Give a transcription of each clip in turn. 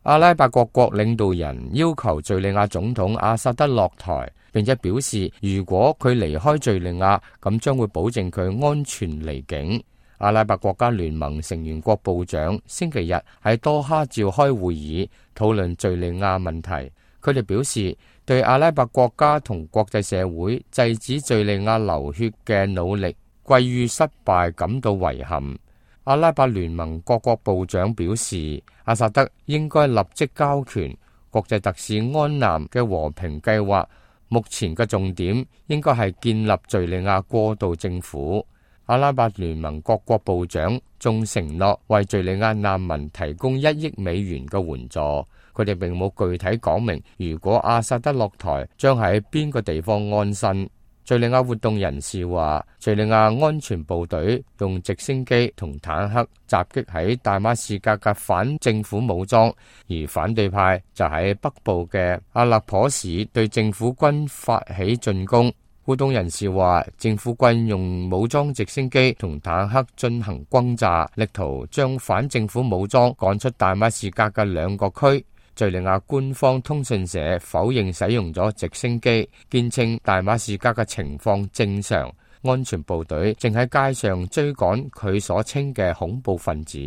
阿拉伯各國領導人要求敘利亞總統阿薩德落台，並且表示如果佢離開敘利亞，咁將會保證佢安全離境。阿拉伯國家聯盟成員國部長星期日喺多哈召開會議，討論敘利亞問題。佢哋表示對阿拉伯國家同國際社會制止敘利亞流血嘅努力歸於失敗感到遺憾。阿拉伯聯盟各國部長表示，阿薩德應該立即交權。國際特使安南嘅和平計劃目前嘅重點應該係建立敘利亞過渡政府。阿拉伯聯盟各國部長仲承諾為敘利亞難民提供1億美元嘅援助。佢哋並冇具體講明，如果阿薩德落台，將喺邊個地方安身。敘利亞活動人士話，敘利亞安全部隊用直升機同坦克襲擊喺大馬士革嘅反政府武裝，而反對派就喺北部嘅阿勒頗市對政府軍發起進攻。活動人士話，政府軍用武裝直升機同坦克進行轟炸，力圖將反政府武裝趕出大馬士革嘅2個區。敘利亞官方通訊社否認使用咗直升機，堅稱大馬士革嘅情況正常，安全部隊正喺街上追趕佢所稱嘅恐怖分子。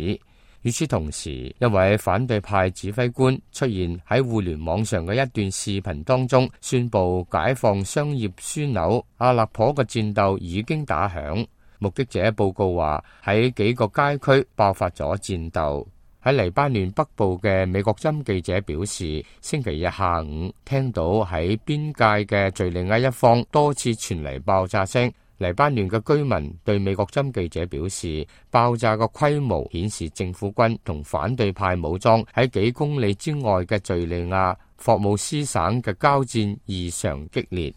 與此同時，一位反對派指揮官出現喺互聯網上嘅一段視頻當中，宣布解放商業樞紐阿勒頗嘅戰鬥已經打響。目擊者報告話，喺幾個街區爆發咗戰鬥。喺黎巴嫩北部嘅美國針記者表示，星期日下午聽到喺邊界嘅敘利亞一方多次傳嚟爆炸聲。黎巴嫩嘅居民對美國針記者表示，爆炸嘅規模顯示政府軍同反對派武裝喺幾公里之外嘅敘利亞霍姆斯省嘅交戰異常激烈。